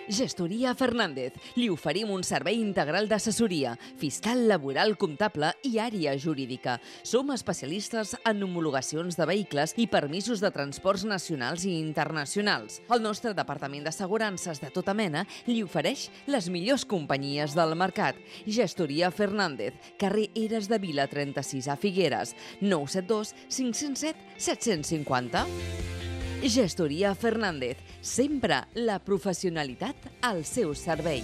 Gestoria Fernández. Li oferim un servei integral d'assessoria, fiscal, laboral, comptable i àrea jurídica. Som especialistes en homologacions de vehicles i permisos de transports nacionals i internacionals. El nostre departament d'assegurances de tota mena li ofereix les millors companyies del mercat. Gestoria Fernández, carrer Eres de Vila 36 a Figueres, 972 507 750. Gestoria Fernández, sempre la professionalitat al seu servei.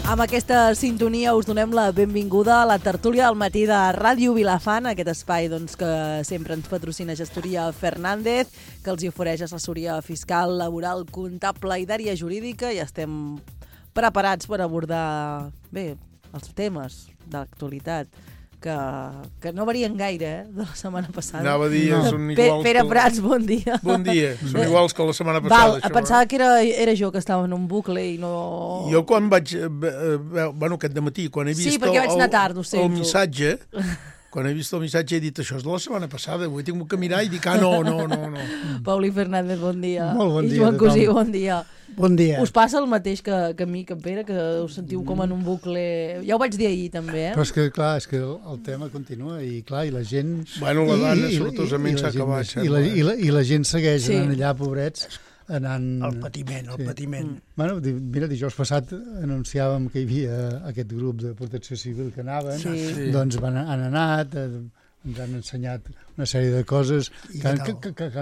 Amb aquesta sintonia us donem la benvinguda a la tertúlia del matí de Ràdio Vilafant, aquest espai que sempre ens patrocina Gestoria Fernández, que els hi ofereix assessoria fiscal, laboral, comptable i d'àrea jurídica, i estem preparats per abordar els temes de l'actualitat que no varien gaire, de la setmana passada. Anava a dir, són iguals... Pere Prats, bon dia. Bon dia, són iguals que la setmana passada. Això, pensava que era jo que estava en un bucle i no... Jo quan vaig... aquest dematí, quan he vist el missatge... Quan he vist el missatge he dit, això és de la setmana passada, ho he tingut que mirar i dic, no. Pauli Fernández, bon dia. Molt bon dia. I Joan Cosí, bon dia. Bon dia. Us passa el mateix que a mi, que a Pere, que us sentiu com en un bucle... Ja ho vaig dir ahir, també, Però és que el tema continua i, clar, i la gent... Bueno, la dana sortosament s'ha acabat. I la gent segueix anant allà, pobrets, anant... El patiment. Bueno, mira, dijous passat anunciàvem que hi havia aquest grup de protecció civil que anaven, doncs han anat, ens han ensenyat una sèrie de coses que han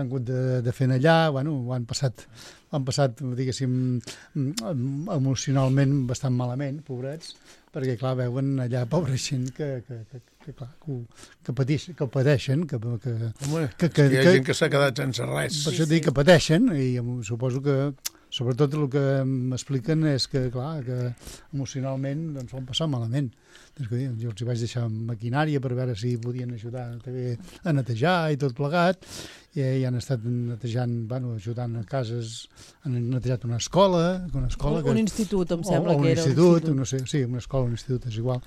hagut de fer allà, bueno, ho han passat, diguéssim, emocionalment bastant malament, pobrets, perquè, clar, veuen allà pobra gent que pateixen, Home, hi ha gent que s'ha quedat sense res. Per això dic que pateixen, i suposo que sobretot el que m'expliquen és que, clar, que emocionalment ho han passat malament. Jo els vaig deixar maquinària per veure si podien ajudar també a netejar i tot plegat, i han estat netejant, ajudant a cases, han netejat una escola... Un institut, em sembla que era. Un institut, no sé, sí, una escola, un institut, és igual.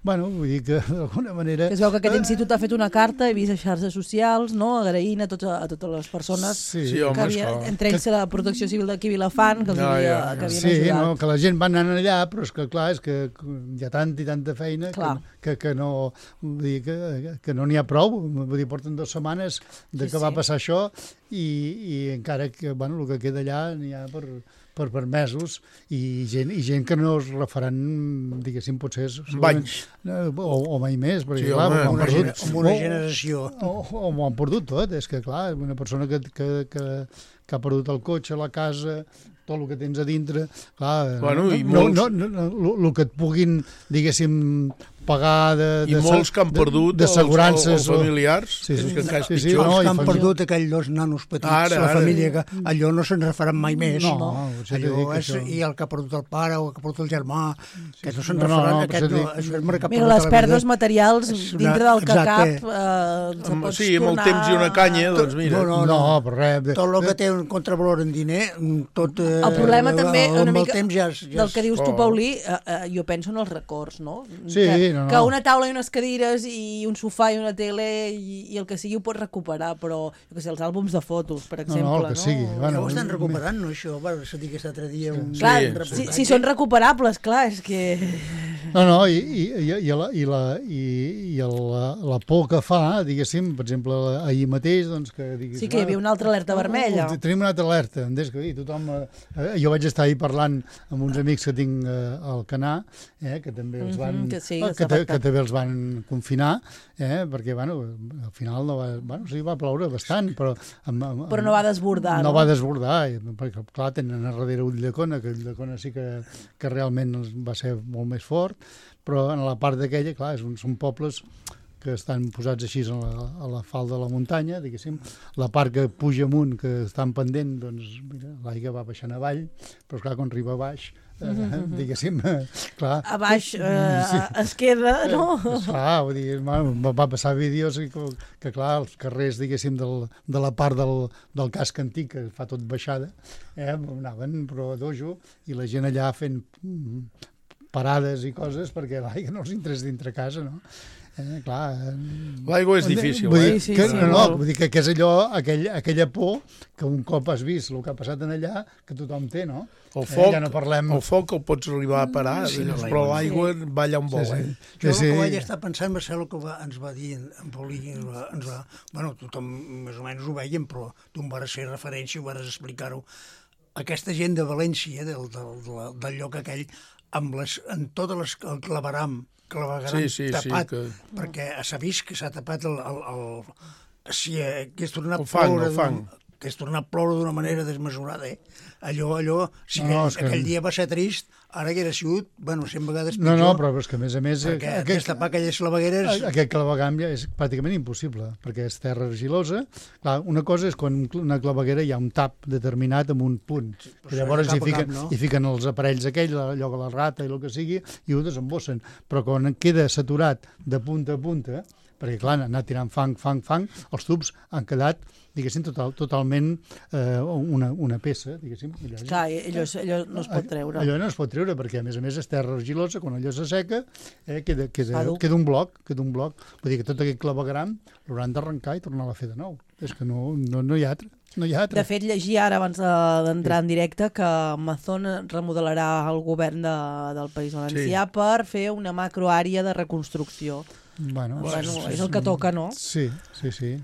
Vull dir que d'alguna manera... Es veu que aquest institut ha fet una carta, he vist a xarxes socials, agraint a totes les persones que havia, entre ells la Protecció Civil d'aquí Vilafant, que els havien ajudat. Sí, que la gent va anar allà, però és que, clar, és que hi ha tanta i tanta feina que no n'hi ha prou. Vull dir, porten 2 setmanes que va passar això i encara que, el que queda allà n'hi ha per mesos i gent que no es refaran, diguéssim, potser... Anys. O mai més, perquè, sí, clar, amb una generació. O m'ho han perdut tot, és que, clar, una persona que ha perdut el cotxe, la casa, tot el que tens a dintre, clar, el que et puguin, diguéssim, pagar i molts que han perdut els familiars. Els que han perdut aquells 2 nanos petits, la família, que allò no se'n refaran mai més. I el que ha perdut el pare o el que ha perdut el germà, que no se'n refaran. Mira, les pèrdues materials dintre del que cap sí, amb el temps i una canya, doncs mira. No, per res. Tot el que té un contravalor en diner, tot... El problema també, una mica, del que dius tu, Paulí, jo penso en els records, no? Sí, que una taula i unes cadires i un sofà i una tele i el que sigui ho pots recuperar, però els àlbums de fotos, per exemple. No, el que sigui. Ja ho estan recuperant, no, això? Va dir aquest altre dia un... Clar, si són recuperables, clar, és que... No, i la por que fa, diguéssim, per exemple, ahir mateix, doncs que... Sí, que hi havia una altra alerta vermella. Tenim una altra alerta, tothom... Jo vaig estar ahir parlant amb uns amics que tinc al Canà, que també els van... que també els van confinar, perquè, al final va ploure bastant, però no va desbordar. No va desbordar, perquè, clar, tenen a darrere Ulldecona, que Ulldecona sí que realment va ser molt més fort, però en la part d'aquella, clar, són pobles que estan posats així a la falda de la muntanya, diguéssim, la part que puja amunt, que estan pendent, doncs, mira, l'aigua va baixant avall, però, clar, quan arriba a baix, diguéssim, clar... A baix es queda, no? Clar, vull dir, va passar vídeos que, clar, els carrers, diguéssim, de la part del casc antic, que fa tot baixada, anaven, però a dojo, i la gent allà fent parades i coses perquè l'aigua no els interessa dintre casa, no? Clar, l'aigua és difícil, vull dir que és allò, aquella por que un cop has vist el que ha passat en allà, que tothom té, no? El foc el pots arribar a parar, però l'aigua va allà on vol. Jo el que vaig estar pensant va ser el que ens va dir en Paulí, bueno, tothom més o menys ho veiem, però tu em vas fer referència, ho vas explicar-ho. Aquesta gent de València, del lloc aquell, amb totes el claveram tapat, perquè s'ha vist que s'ha tapat si hagués tornat a ploure d'una manera desmesurada, allò, aquell dia va ser trist, ara que era sigut, 100 vegades pitjor. No, però és que a més... Perquè destapar aquelles clavegueres... Aquest clavegamp és pràcticament impossible, perquè és terra argilosa. Clar, una cosa és quan una claveguera hi ha un tap determinat amb un punt, que llavors hi fiquen els aparells aquells, allò que la rata i el que sigui, i ho desembossen. Però quan queda saturat de punta a punta, perquè clar, han anat tirant fang, els tubs han quedat, diguéssim, totalment una peça, diguéssim. Clar, allò no es pot treure. Allò no es pot treure, perquè a més és terra argilosa, quan allò s'asseca, queda un bloc. Vull dir que tot aquest clavegram l'hauran d'arrencar i tornar-la a fer de nou. És que no hi ha altre. De fet, llegir ara, abans d'entrar en directe, que Amazon remodelarà el govern del País Valencià per fer una macroàrea de reconstrucció. Bueno, és el que toca, no? Sí.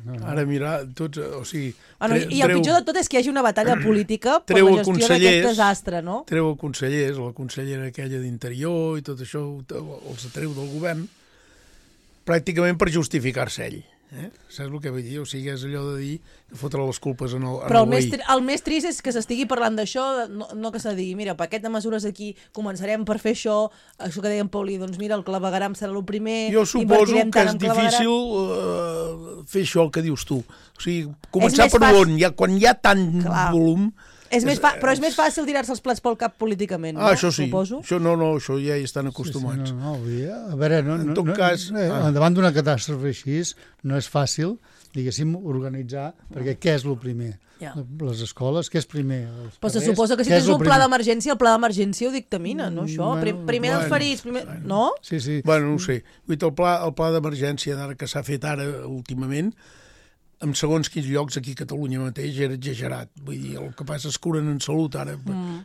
No. Ara mira, tots, o sigui... I el pitjor de tot és que hi hagi una batalla política per la gestió d'aquest desastre, no? Treu el consellers, la consellera aquella d'Interior i tot això, els treu del govern, pràcticament per justificar-se ell. Saps el que vull dir? O sigui, és allò de dir que fotre les culpes en el Però el més trist és que s'estigui parlant d'això, no que se digui, mira, paquet de mesures aquí, començarem per fer això que deia en Paulí, doncs mira, el clavegaram serà el primer... Jo suposo que és difícil fer això que dius tu. O sigui, començar per on, quan hi ha tant volum... Però és més fàcil tirar-se els plats pel cap políticament, no? Això sí, suposo. Això ja hi estan acostumats. A veure, davant d'una catàstrofe així, no és fàcil, diguéssim, organitzar, perquè què és el primer? Les escoles, què és primer? Però se suposa que si tens un pla d'emergència, el pla d'emergència ho dictamina, no, això? Primer dels ferits, no? Sí. Bueno, no ho sé. El pla d'emergència d'ara que s'ha fet ara últimament, en segons quins llocs aquí a Catalunya mateix era exagerat. Vull dir, el que passa és que curen en salut ara,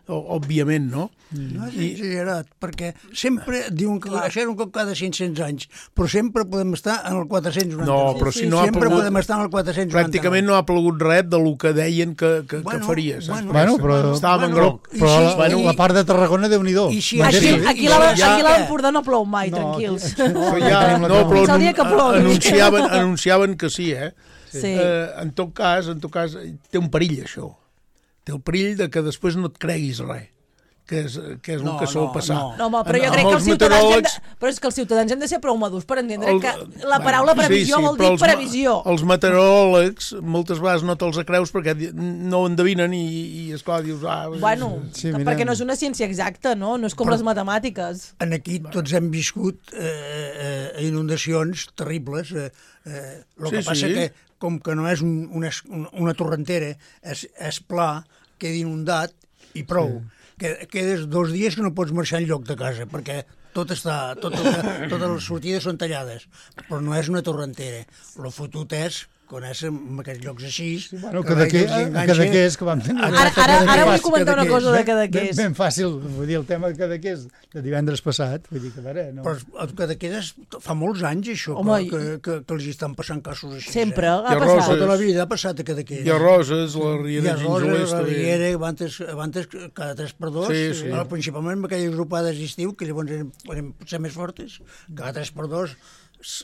òbviament, no? No és exagerat, perquè sempre diuen que això era un cop cada 500 anys, però sempre podem estar en el 490. No, però si no ha sempre podem estar en el 490. Pràcticament no ha plogut res del que deien que faria. Però estàvem en groc. Però la part de Tarragona, Déu-n'hi-do. Aquí a l'Empordà no plou mai, tranquils. No, però anunciaven que sí, Sí. En tot cas, té un perill, això. Té el perill de que després no et creguis res, que és el que sol passar. No, però jo crec que els ciutadans hem de ser prou madurs per entendre que la paraula previsió vol dir previsió. Els meteoròlegs moltes vegades no te'ls creus perquè no ho endevinen i esclar, dius... perquè no és una ciència exacta, no? No és com les matemàtiques. Aquí tots hem viscut inundacions terribles. El que passa que, com que no és una torrentera, és pla, queda inundat i prou. Quedes 2 dies que no pots marxar enlloc de casa, perquè totes les sortides són tallades, però no és una torrentera. El fotut és quan és en aquests llocs així... Bueno, Cadaqués, que vam tenir... Ara vull comentar una cosa de Cadaqués. Ben fàcil, vull dir, el tema de Cadaqués de divendres passat, vull dir que a veure... Però el Cadaqués fa molts anys, això, que els estan passant casos així. Sempre ha passat. Tota la vida ha passat a Cadaqués. I a Roses, la Riera de Gingelers... La Riera, abans cada 3x2, principalment amb aquelles grupades d'estiu, que llavors eren potser més fortes, cada 3x2...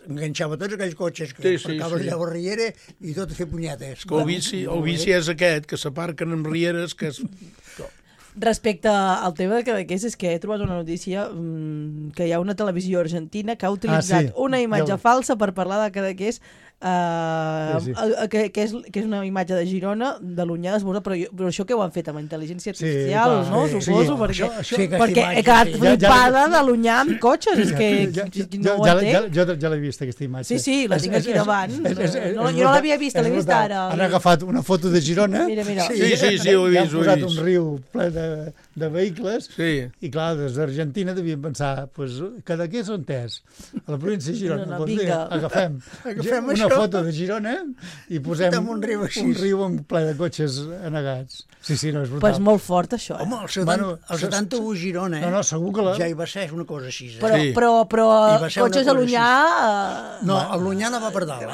enganxava tots aquells cotxes que aparcaven allà a la riera i tot a fer punyetes. El vici és aquest, que s'aparquen en rieres, que és... Respecte al tema de Cadaqués, és que he trobat una notícia que hi ha una televisió argentina que ha utilitzat una imatge falsa per parlar de Cadaqués, que és una imatge de Girona, de l'Onyar d'Esborda, però això que ho han fet amb intel·ligència artificial, no? Suposo, perquè he quedat flipada de l'Onyar amb cotxes, és que no ho entenc. Jo l'he vist, aquesta imatge. Sí, la tinc aquí davant. Jo no l'havia vist, l'he vist ara. Han agafat una foto de Girona. Mira. Sí, ho he vist. Han posat un riu ple de vehicles, Sí. i clar, des d'Argentina devien pensar, pues, Cadaqués on és? A la província de Girona. No, Doncs vinga. agafem una això. foto de Girona i posem Amb un riu així. un riu ple de cotxes anegats. Sí, no, és brutal. Però és molt fort, això. Home, el 71 Girona, No, segur que ja hi va ser una cosa així. Però, Sí. però I va ser una cotxes cosa a l'Unyà... No, el Lunyà anava per dalt,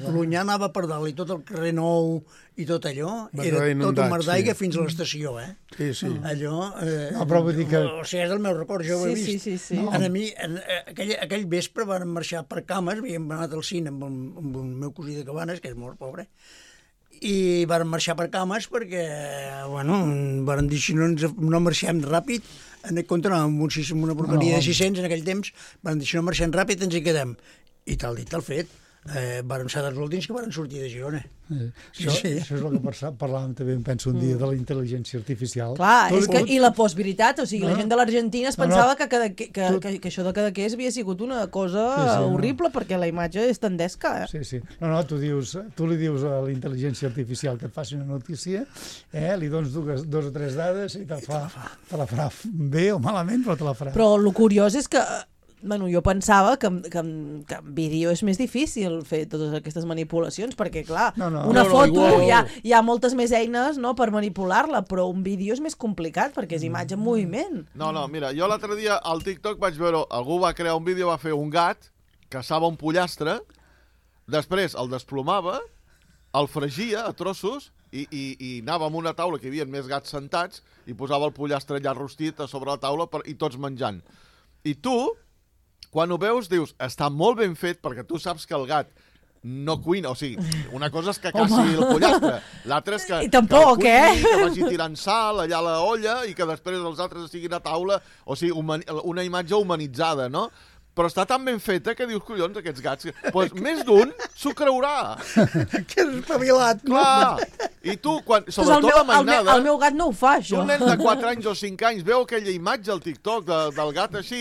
El Lunyà anava per dalt i tot el carrer Nou i tot allò Va era quedar tot inundat, un mar d'aigua sí. fins a l'estació, Sí, sí. Allò... No, però vull dir que... O sigui, és el meu record, jo ho he Sí, vist. sí, sí. A mi, aquell vespre van marxar per Cames, havíem anat al cine amb el meu cosí de Cabanes, que és molt pobre, i van marxar per Cames perquè, bueno, van dir si no marxem ràpid, en contra amb una porqueria de 600 en aquell temps, van dir si no marxem ràpid ens hi quedem. I tal dit, tal fet. Varen ser dels últims que van sortir de Girona. Això és el que parlàvem també, em penso, un dia de la intel·ligència artificial. Clar, i la postveritat, o sigui, la gent de l'Argentina es pensava que això de Cadaqués havia sigut una cosa horrible perquè la imatge és tendesca. Sí. No, tu li dius a la intel·ligència artificial que et faci una notícia, li dones dos o tres dades i te la farà bé o malament, però te la farà. Però el curiós és que jo pensava que en vídeo és més difícil fer totes aquestes manipulacions, perquè, clar, una foto hi ha moltes més eines per manipular-la, però un vídeo és més complicat, perquè és imatge en moviment. No, mira, jo l'altre dia al TikTok vaig veure, algú va crear un vídeo, va fer un gat, caçava un pollastre, després el desplomava, el fregia a trossos i anava amb una taula que hi havia més gats sentats i posava el pollastre allà rostit a sobre la taula i tots menjant. I tu, quan ho veus, dius, està molt ben fet perquè tu saps que el gat no cuina, o sigui, una cosa és que caci el pollastre, l'altra és que tampoc, que vagi tirant sal allà a la olla i que després els altres estiguin a taula, o sigui, una imatge humanitzada, no? Però està tan ben feta que dius, collons, aquests gats, doncs més d'un s'ho creurà. Que és espavilat. Clar. I tu, sobretot la mainada... El meu gat no ho fa, això. Un nen de 4 anys o 5 anys veu aquella imatge al TikTok del gat així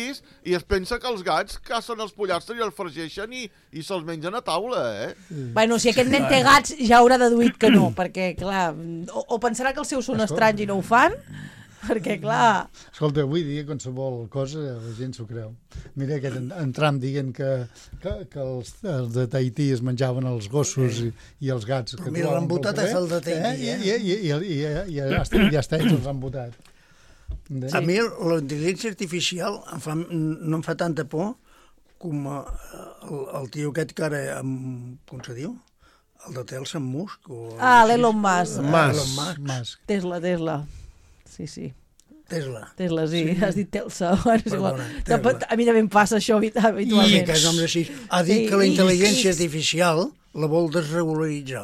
i es pensa que els gats cacen els pollastres i els fregeixen i se'ls mengen a taula, Bueno, si aquest nen té gats ja haurà deduït que no, perquè, clar, o pensarà que els seus són estranys i no ho fan, perquè, clar... Escolta, avui dia qualsevol cosa la gent s'ho creu. Mira aquest en Trump dient que els de Tahití es menjaven els gossos i els gats. Però mira, l'han votat és el de Tahití, I ja està, ells els han votat. A mi la intel·ligència artificial no em fa tanta por com el tio aquest que ara, com se diu? El de Telsa, en Musk? L'Elon Musk. Musk. Tesla. Sí. Tesla, sí. Has dit Telsa. A mi també em passa això habitualment. I que noms així. Ha dit que la intel·ligència artificial la vol desregularitzar.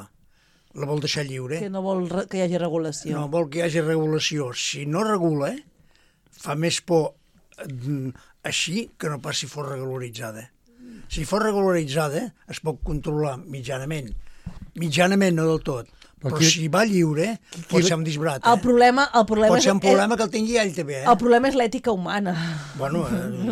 La vol deixar lliure. Que no vol que hi hagi regulació. No vol que hi hagi regulació. Si no regula, fa més por així que no pas si fos regularitzada. Si fos regularitzada, es pot controlar mitjanament. Mitjanament, no del tot. Però si va lliure, pot ser un disbrat. El problema pot ser un problema que el tingui ell també. El problema és l'ètica humana. Bueno,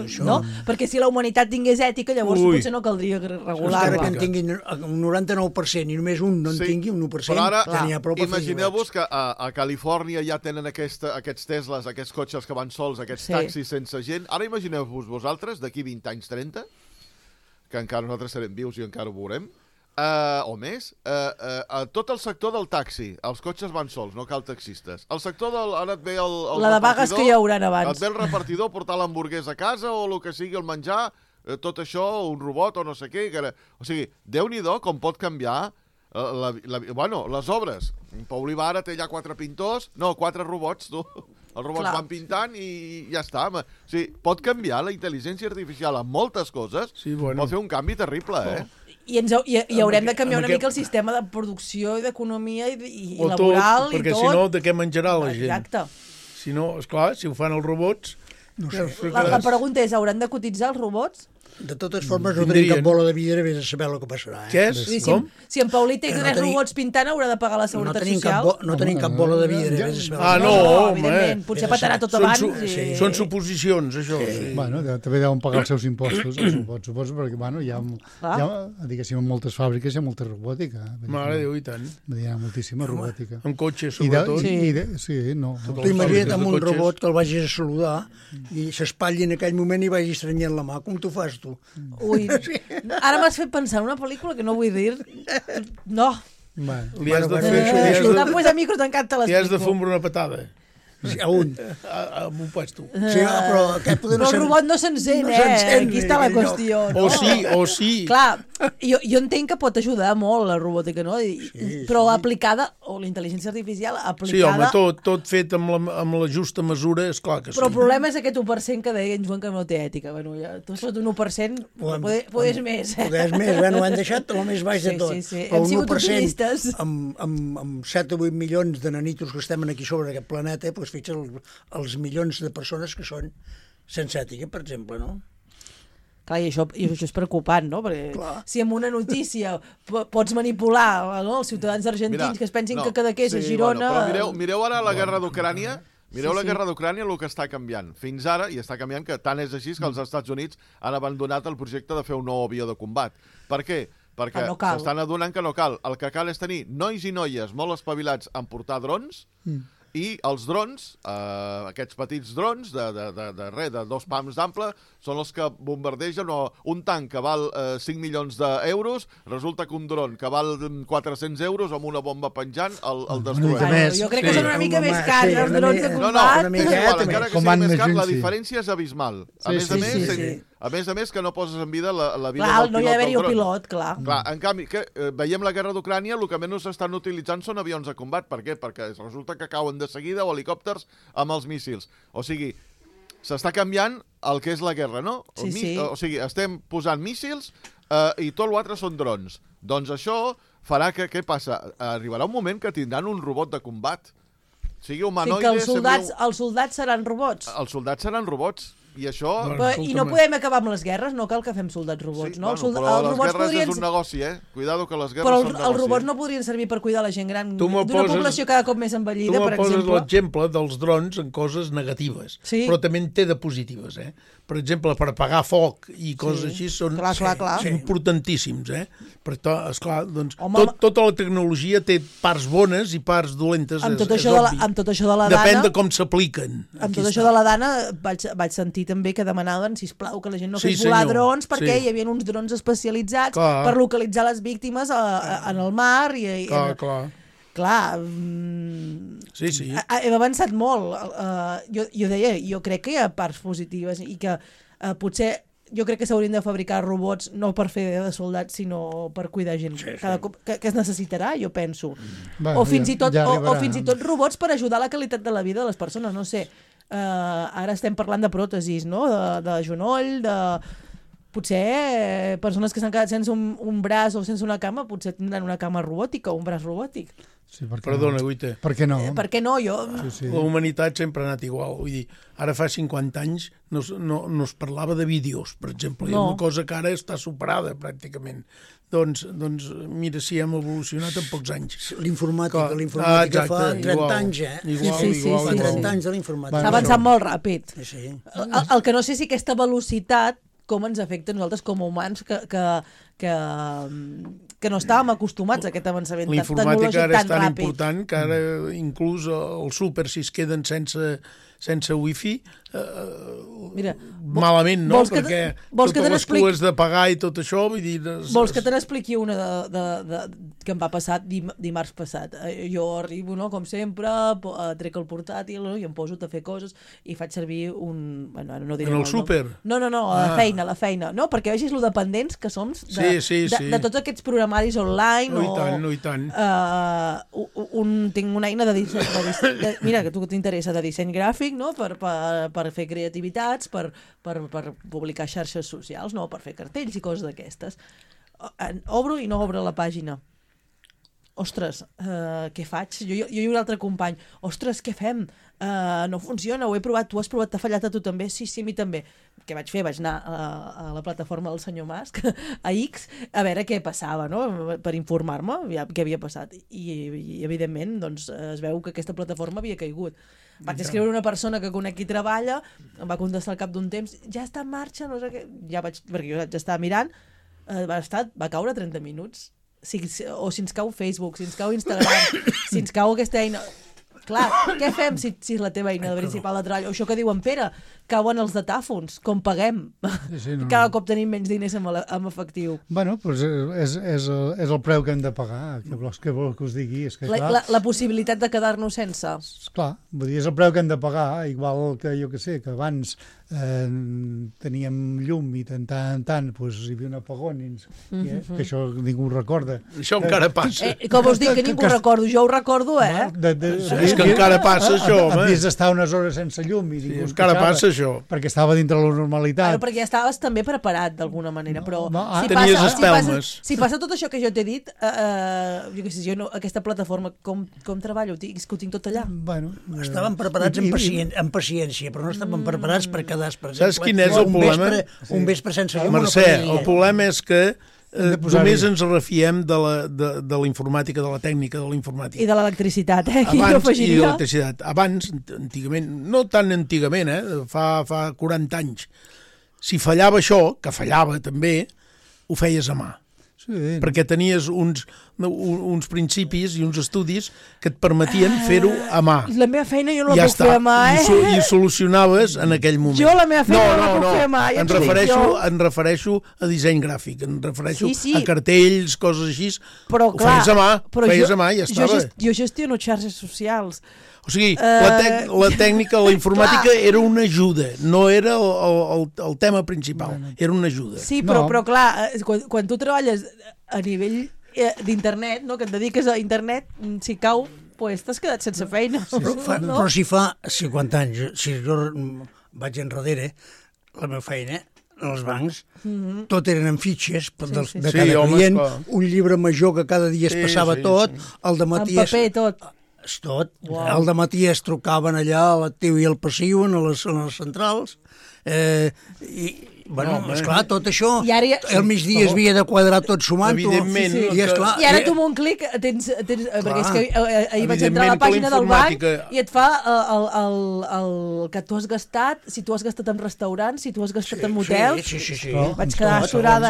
això... No? Perquè si la humanitat tingués ètica, llavors potser no caldria regular-la. Encara que en tinguin un 99% i només un no en tingui, un 1%, però ara, tenia prou per fer imagineu-vos que a Califòrnia ja tenen aquests Teslas, aquests cotxes que van sols, aquests taxis sense gent. Ara imagineu-vos vosaltres, d'aquí 20 anys, 30, que encara nosaltres serem vius i encara ho veurem, o més, tot el sector del taxi, els cotxes van sols, no cal taxistes. El sector del... Ara et ve el la de vagues que hi hauran abans. Et ve el repartidor a portar l'hamburguès a casa o el que sigui, el menjar, tot això, un robot o no sé què. O sigui, Déu-n'hi-do com pot canviar les obres. Pau Oliva té allà 4 pintors, no, 4 robots, tu. Els robots van pintant i ja està. O sigui, pot canviar la intel·ligència artificial en moltes coses, pot fer un canvi terrible, I haurem de canviar una mica el sistema de producció i d'economia i laboral i tot. Perquè si no, de què menjarà la gent? Exacte. Si no, esclar, si ho fan els robots, No sé. La pregunta és, hauran de cotitzar els robots? De totes formes, no tenim cap bola de vidre, vés a saber el que passarà. Què és? Com? Si en Paulí té 3 robots pintant, haurà de pagar la seguretat social? No tenim cap bola de vidre, vés a saber. Evidentment. Potser petarà tot abans. Són suposicions, això. Bueno, també deuen pagar els seus impostos, els robots, suposo, perquè hi ha, diguéssim, en moltes fàbriques hi ha molta robòtica. Mare de Déu, i tant. Hi ha moltíssima robòtica. En cotxes, sobretot. Sí, no. Tu imagina't amb un robot que el vagis a saludar i s'espatlli en aquell moment i vagi estrenyent la mà. Com t'ho fas, tu? Ui, ara m'has fet pensar en una pel·lícula que no vull dir. No. Li has de fer... Després a micro tancat te l'explico. Li has de fumar una patada. A un. Amb un puesto. Sí, però el robot no s'encén, Aquí està la qüestió. O sí. Clar, jo entenc que pot ajudar molt la robòtica, no? Però aplicada, o la intel·ligència artificial aplicada... Sí, home, tot fet amb la justa mesura, és clar que sí. Però el problema és aquest 1% que deia en Joan que no té ètica. Bueno, ja, tu sot un 1%, podés més. Podés més, ho han deixat el més baix de tot. Sí. Hem sigut optimistes. Amb 7 o 8 milions de nanitos que estem aquí sobre aquest planeta, doncs fixa't els milions de persones que són sense ètica, per exemple, no? Clar, i això és preocupant, no? Perquè si amb una notícia pots manipular els ciutadans argentins que es pensin que Cadaqués és Girona... Però mireu ara la guerra d'Ucrània. Mireu la guerra d'Ucrània, el que està canviant. Fins ara, i està canviant, que tant és així que els Estats Units han abandonat el projecte de fer un nou avió de combat. Per què? Perquè s'estan adonant que no cal. El que cal és tenir nois i noies molt espavilats en portar drons, i els drons, aquests petits drons de 2 pams d'ample, són els que bombardegen un tanc que val 5 milions d'euros, resulta que un dron que val 400 euros amb una bomba penjant el destrueix. Jo crec que són una mica més cars els drons de combat. Encara que sigui més car, la diferència és abismal. A més a més que no poses en vida la vida del pilot del dron. No hi ha d'haver-hi un pilot, clar. En canvi, veiem la guerra d'Ucrània, el que menys s'estan utilitzant són avions de combat. Per què? Perquè resulta que cauen de seguida o helicòpters amb els míssils. O sigui, s'està canviant el que és la guerra, no? Sí. O sigui, estem posant míssils i tot l'altre són drons. Doncs això farà que, què passa? Arribarà un moment que tindran un robot de combat. Sigui humanoide... O sigui que els soldats seran robots. Els soldats seran robots. I això... I no podem acabar amb les guerres, no cal que fem soldats robots, no? Però les guerres és un negoci, Cuidado que les guerres són negoci. Però els robots no podrien servir per cuidar la gent gran d'una població cada cop més envellida, per exemple. Tu me poses l'exemple dels drons en coses negatives, però també en té de positives, Per exemple, per apagar foc i coses així són importantíssims, Però, esclar, doncs, tota la tecnologia té parts bones i parts dolentes, amb tot això de la Dana... Depèn de com s'apliquen. Amb tot això de la Dana vaig sentir també que demanaven, sisplau, que la gent no fes volar drons perquè hi havia uns drons especialitzats per localitzar les víctimes en el mar i... Clar, hem avançat molt. Jo deia, jo crec que hi ha parts positives i que potser jo crec que s'haurien de fabricar robots no per fer de soldats, sinó per cuidar gent cada cop que es necessitarà, jo penso. O fins i tot robots per ajudar la qualitat de la vida de les persones, no sé. Ara estem parlant de pròtesis, no? De genoll, potser persones que s'han quedat sense un braç o sense una cama, potser tindran una cama robòtica o un braç robòtic. Sí, Perdona, Guita. Per què no? Per què no? La humanitat sempre ha anat igual. Vull dir, ara fa 50 anys no es parlava de vídeos, per exemple. És una cosa que ara està superada, pràcticament. Doncs mira si hem evolucionat en pocs anys. L'informàtica fa 30 anys, Igual. Fa 30 anys de l'informàtica. S'ha avançat molt ràpid. Sí. El que no sé si aquesta velocitat com ens afecta a nosaltres com a humans que no estàvem acostumats a aquest avançament tecnològic tan ràpid. L'informàtica ara és tan important que ara inclús el súper, si es queden sense wifi, malament, no? Perquè totes les cues de pagar i tot això, vull dir... Vols que te n'expliqui una que em va passar dimarts passat? Jo arribo, no?, com sempre, trec el portàtil i em poso a fer coses i faig servir un... Bueno, no diré en el súper? No, a la feina. No, perquè vegis lo dependents que som de tots aquests programaris online. No i tant. Tinc una eina de disseny, mira, que tu t'interessa, de disseny gràfic, no?, per fer creativitats, per publicar xarxes socials, no?, per fer cartells i coses d'aquestes. Obro i no obre la pàgina. Ostres, què faig? Jo i un altre company. Ostres, què fem? no funciona, ho he provat, tu has provat, t'ha fallat a tu també? Sí, a mi també. Què vaig fer? Vaig anar a la plataforma del senyor Musk, a X, a veure què passava, no? Per informar-me què havia passat. I evidentment, doncs, es veu que aquesta plataforma havia caigut. Vaig escriure una persona que conec qui treballa, em va contestar al cap d'un temps, ja està en marxa, no sé què, perquè jo ja estava mirant, va caure 30 minuts. O si ens cau Facebook, si ens cau Instagram, si ens cau aquesta eina... Clar, què fem si és la teva eina principal de treball? O això que diu en Pere, cauen els datàfons, com paguem? Cada cop tenim menys diners en efectiu. Bueno, doncs és el preu que hem de pagar, que vol que us digui. És que, la possibilitat de quedar-nos sense. Clar, vull dir, és el preu que hem de pagar, igual que jo que sé, que abans teníem llum i tant hi havia un apagón, que això ningú ho recorda. Això encara passa. Com us dic, que ningú ho recordo, jo ho recordo, És que encara passa això, home. Havies d'estar unes hores sense llum i ningú encara passa això. Perquè estava dintre la normalitat. Perquè ja estaves també preparat d'alguna manera, però tenies espelmes. Si passa tot això que jo t'he dit, jo què sé, aquesta plataforma, com treballo? És que ho tinc tot allà. Estàvem preparats amb paciència, però no estàvem preparats per quedar, per exemple, saps quin és el problema? Un vespre sense llum. Mercè, el problema és que només ens refiem de la informàtica, de la tècnica de la informàtica. I de l'electricitat, I de l'electricitat. Abans, antigament, no tan antigament, fa 40 anys, si fallava això, que fallava també, ho feies a mà. Sí. Perquè tenies uns principis i uns estudis que et permetien fer-ho a mà. La meva feina jo no la puc fer a mà, I solucionaves en aquell moment. Jo la meva feina no la puc fer a mà. Em refereixo a disseny gràfic, em refereixo a cartells, coses així. Però clar, ho feies a mà i ja estava. Jo gestiono xarxes socials. O sigui, la tècnica, la informàtica era una ajuda, no era el tema principal, era una ajuda. Sí, però clar, quan tu treballes a nivell d'internet, no, que et dediques a internet, si cau, pues t'has quedat sense feina. Però si fa 50 anys, si jo vaig enrere, la meva feina, els bancs, tot eren en fitxes de cada client, un llibre major que cada dia es passava tot, el dematí... En paper, tot. Tot. Al dematí es trucaven allà a l'actiu i al passiu, a les centrals, esclar, tot això, el migdia es havia de quadrar tot sumant-ho. Evidentment. I ara tu amb un clic tens... Perquè és que ahir vaig entrar a la pàgina del banc i et fa el que tu has gastat, si tu has gastat en restaurants, si tu has gastat en motels... Sí. Vaig quedar astorada,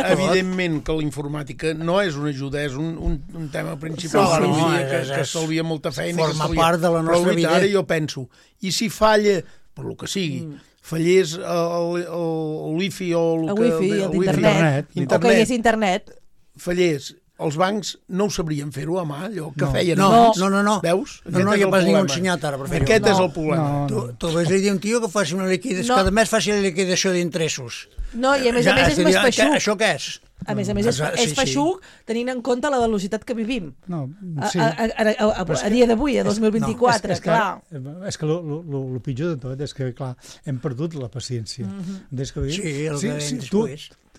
Evidentment que la informàtica no és una ajuda, és un tema principal. Que estalvia molta feina. Forma part de la nostra vida. Però ara jo penso, i si falla, per lo que sigui, fallés el wifi o l'internet, o que hi és internet, fallés, els bancs no ho sabrien fer-ho a mà, allò que feien. No. Veus? No hi ha pas ningú ensenyat ara per fer-ho. Aquest és el problema. Tu vas dir a un tio que faci una liquidació, cada mes faci la liquidació d'interessos. No, i a més és més feixuc. Això què és? A més és feixuc tenint en compte la velocitat que vivim. A dia d'avui, a 2024, clar. És que el pitjor de tot és que, clar, hem perdut la paciència.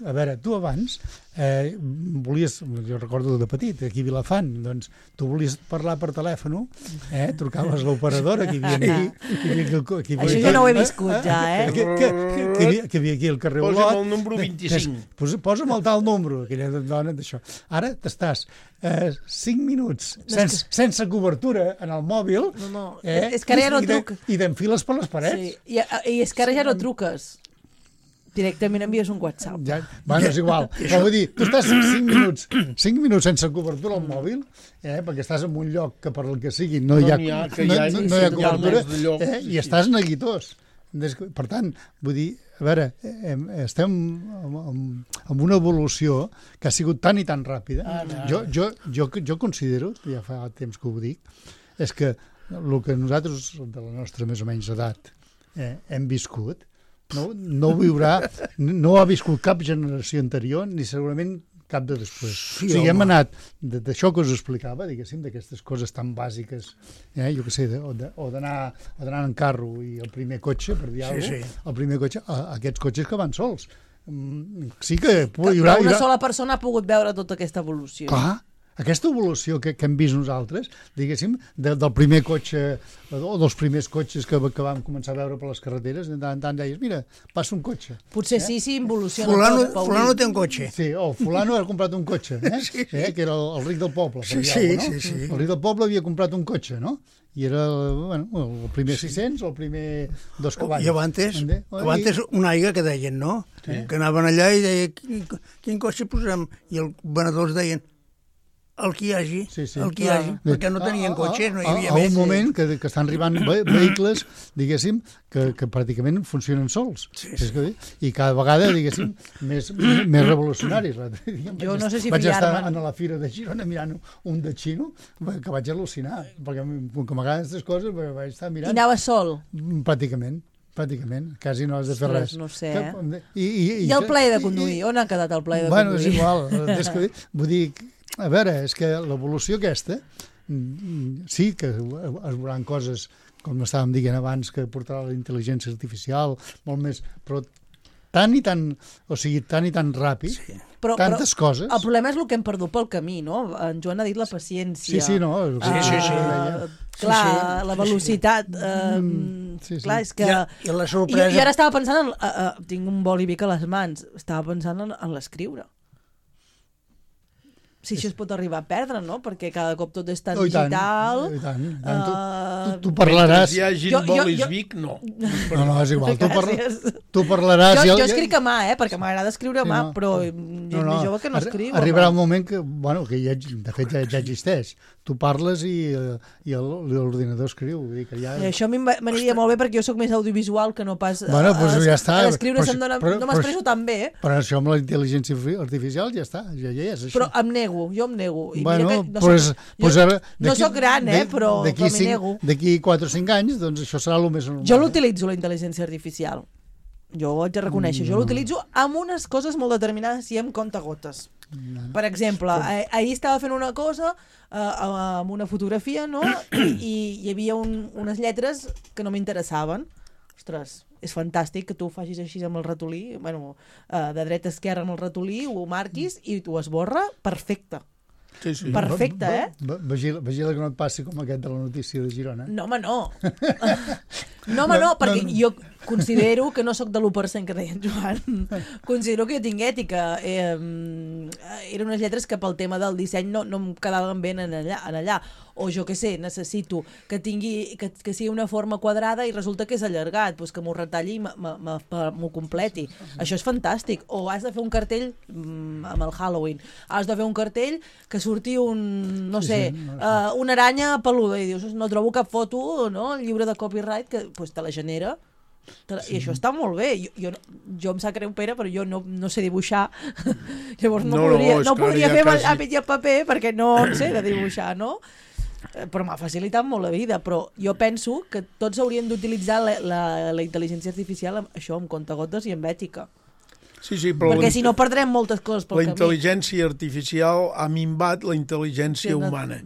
A veure, tu abans volies, jo recordo de petit, aquí a Vilafant, doncs tu volies parlar per telèfon, trucaves a l'operadora, que hi havia aquí... Això jo no ho he viscut, ja, que havia aquí al carrer Olot. Posa'm el número 25. Posa'm el tal número, aquella dona d'això. Ara t'estàs 5 minuts sense cobertura en el mòbil. És que ara ja no truc. I t'enfiles per les parets. I és que ara ja no truques. Directament envies un WhatsApp. Bueno, és igual. Però vull dir, tu estàs 5 minuts sense cobertura al mòbil, perquè estàs en un lloc que per el que sigui no hi ha cobertura, i estàs neguitós. Per tant, vull dir, a veure, estem amb una evolució que ha sigut tan i tan ràpida. Jo considero, ja fa temps que ho dic, és que el que nosaltres, de la nostra més o menys edat, hem viscut, no ha viscut cap generació anterior ni segurament cap de després. O sigui, hem anat d'això que us explicava, diguéssim, d'aquestes coses tan bàsiques, jo què sé, o d'anar en carro i el primer cotxe, per dir alguna cosa, el primer cotxe, aquests cotxes que van sols. Sí que hi haurà... Una sola persona ha pogut veure tota aquesta evolució. Clar, aquesta evolució que hem vist nosaltres, diguéssim, del primer cotxe o dels primers cotxes que vam començar a veure per les carreteres, de tant en tant deies, mira, passa un cotxe. Potser sí involuciona tot, Paulí. Fulano té un cotxe. Sí, Fulano ha comprat un cotxe, que era el ric del poble. Sí. El ric del poble havia comprat un cotxe, no? I era el primer 600 o el primer 2 cavalls. I abans una aigua que deien, no? Sí. Que anaven allà i deien, quin cotxe posem? I els venedors deien, el que hi hagi, perquè no tenien cotxes, no hi havia més. A un moment que estan arribant vehicles, diguéssim, que pràcticament funcionen sols. I cada vegada, diguéssim, més revolucionaris. Jo no sé si vaig estar a la Fira de Girona mirant un de xino que vaig al·lucinar, perquè com que m'agraden aquestes coses vaig estar mirant. I anava sol? Pràcticament, quasi no has de fer res. No sé, I el plaer de conduir? On ha quedat el plaer de conduir? Bueno, és igual. Vull dir, a veure, és que l'evolució aquesta, sí que es veuran coses, com estàvem dient abans, que portarà la intel·ligència artificial, molt més, però tan i tan ràpid, tantes coses. El problema és el que hem perdut pel camí, no? En Joan ha dit la paciència. Sí, no. Clar, la velocitat. Clar, és que... I la sorpresa... Jo ara estava pensant tinc un bolivic a les mans, estava pensant en l'escriure. Si això es pot arribar a perdre, no? Perquè cada cop tot és tan digital. I tant. Tu parlaràs... Si hi hagi bolis Vic, no. No, és igual. Tu parlaràs... Jo escric a mà, perquè m'agrada escriure a mà, però gent més jove que no escriu. Arribarà un moment que, de fet, ja existeix. Tu parles i l'ordinador escriu. Això a mi m'aniria molt bé perquè jo sóc més audiovisual que no pas... Bueno, doncs ja està. Escriure no m'expresso tan bé. Però això amb la intel·ligència artificial ja està, ja és això. Però em nego. Jo em nego. No soc gran, però m'hi nego. D'aquí 4 o 5 anys, doncs això serà el més normal. Jo l'utilitzo, la intel·ligència artificial. Jo ho haig de reconèixer. Jo l'utilitzo amb unes coses molt determinades i amb comptagotes. Per exemple, ahir estava fent una cosa amb una fotografia, no? I hi havia unes lletres que no m'interessaven. Ostres, és fantàstic que tu facis així amb el ratolí, de dreta a esquerra amb el ratolí, ho marquis i t'ho esborra, perfecte. Sí. Perfecte, Vigila que no et passi com aquest de la notícia de Girona. No, home, no. Perquè jo considero que no sóc de l'1% que deia en Joan. Considero que jo tinc ètica. Eren unes lletres que pel tema del disseny no em quedaven bé en allà. O jo què sé, necessito que sigui una forma quadrada i resulta que és allargat, doncs que m'ho retalli i m'ho completi. Això és fantàstic. O has de fer un cartell amb el Halloween. Has de fer un cartell que surti una aranya peluda i dius, no trobo cap foto, no? El llibre de copyright que te la genera. I això està molt bé. Jo em sap greu, Pere, però jo no sé dibuixar. Llavors no podria fer amb el paper perquè no sé de dibuixar, no? Però m'ha facilitat molt la vida, però jo penso que tots haurien d'utilitzar la intel·ligència artificial això amb comptagotes i amb ètica. Sí, però perquè si no perdrem moltes coses pel camí. La intel·ligència artificial ha minvat la intel·ligència humana.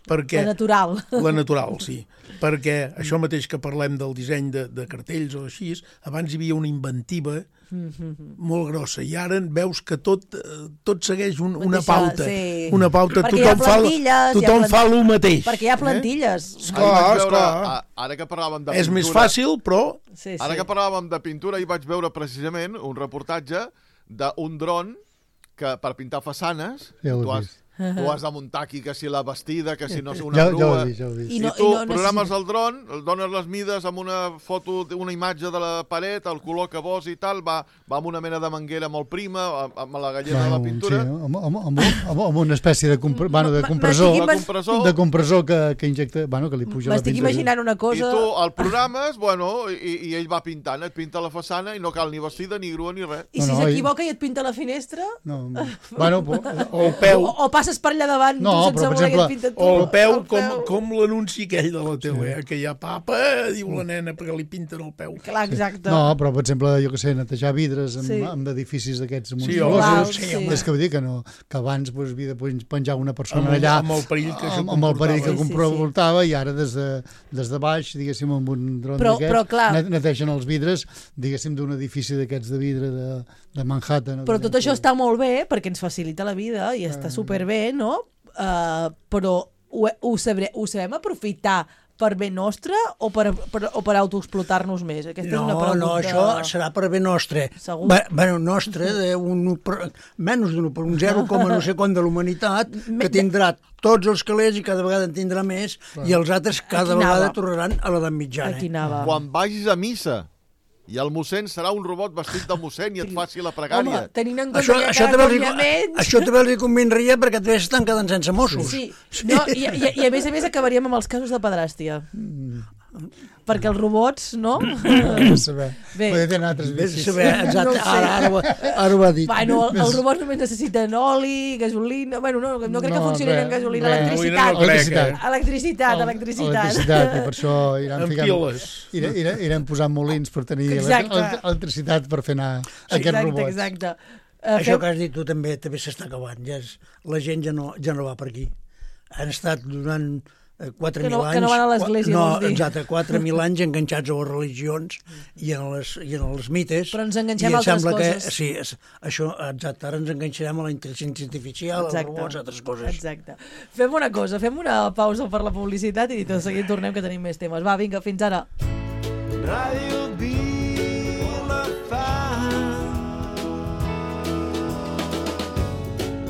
La natural. La natural, sí. Perquè això mateix que parlem del disseny de cartells o així, abans hi havia una inventiva molt grossa i ara veus que tot segueix una pauta. Sí. Una pauta, tothom fa el mateix. Perquè hi ha plantilles. Esclar. Ara que parlàvem de pintura... És més fàcil, però... Ara que parlàvem de pintura, hi vaig veure precisament un reportatge d'un dron que per pintar façanes tu has de muntar aquí que si la vestida, que si no una grua... Ja ho he vist. I tu programes el dron, el dones les mides amb una foto, una imatge de la paret, el color que vols i tal, va amb una mena de manguera molt prima, amb la galleda de la pintura... Sí, amb una espècie de compressor que injecta, que li puja la pintura. M'estic imaginant una cosa... I tu el programes, i ell va pintant, et pinta la façana i no cal ni vestida, ni grua, ni res. I si s'equivoca i et pinta la finestra? No, o el peu... O passes per allà davant, tu sense voler que et pinta tu. O el peu, com l'anunci aquell de la tele, que hi ha papa, diu la nena, perquè li pinten el peu. Clar, exacte. No, però, per exemple, jo que sé, netejar vidres amb edificis d'aquests monstruosos. És que vull dir que abans havia de penjar una persona allà amb el perill que comportava i ara des de baix, diguéssim, amb un dron d'aquests, netegen els vidres, diguéssim, d'un edifici d'aquests de vidre de Manhattan. Però tot això està molt bé perquè ens facilita la vida i està superbé, no? però ho sabem aprofitar per bé nostre o per autoexplotar-nos més? Aquesta és una pregunta... No, això serà per bé nostre. Segur? Bueno, nostre, menys un 0, no sé quant de l'humanitat, que tindrà tots els calés i cada vegada en tindrà més, i els altres cada vegada tornaran a l'edat mitjana. Aquí anava. Quan vagis a missa i el mossèn serà un robot vestit de mossèn i et faci la pregària. Home, tenint en compte que cada cop hi ha menys... Això també els convindria perquè també estan quedant sense Mossos. Sí. No, i a més acabaríem amb els casos de pedràstia. Perquè els robots, no? Saber. Podria tenir altres vicis. Exacte, ara ho ha dit. Bueno, els robots només necessiten oli, gasolina... Bueno, no crec que funcionin amb gasolina, electricitat. Electricitat, i per això iran posant molins per tenir electricitat per fer anar aquests robots. Exacte. Això que has dit tu també s'està acabant. La gent ja no va per aquí. Han estat durant 4.000 anys... Que no van a l'església, vols dir. Exacte, 4.000 anys enganxats a les religions i en els mites. Però ens enganxem a altres coses. Sí, això, exacte, ara ens enganxarem a la intel·ligència artificial, als robots, a altres coses. Exacte. Fem una cosa, fem una pausa per la publicitat i tot seguit tornem, que tenim més temes. Va, vinga, fins ara. Ràdio Vilafant.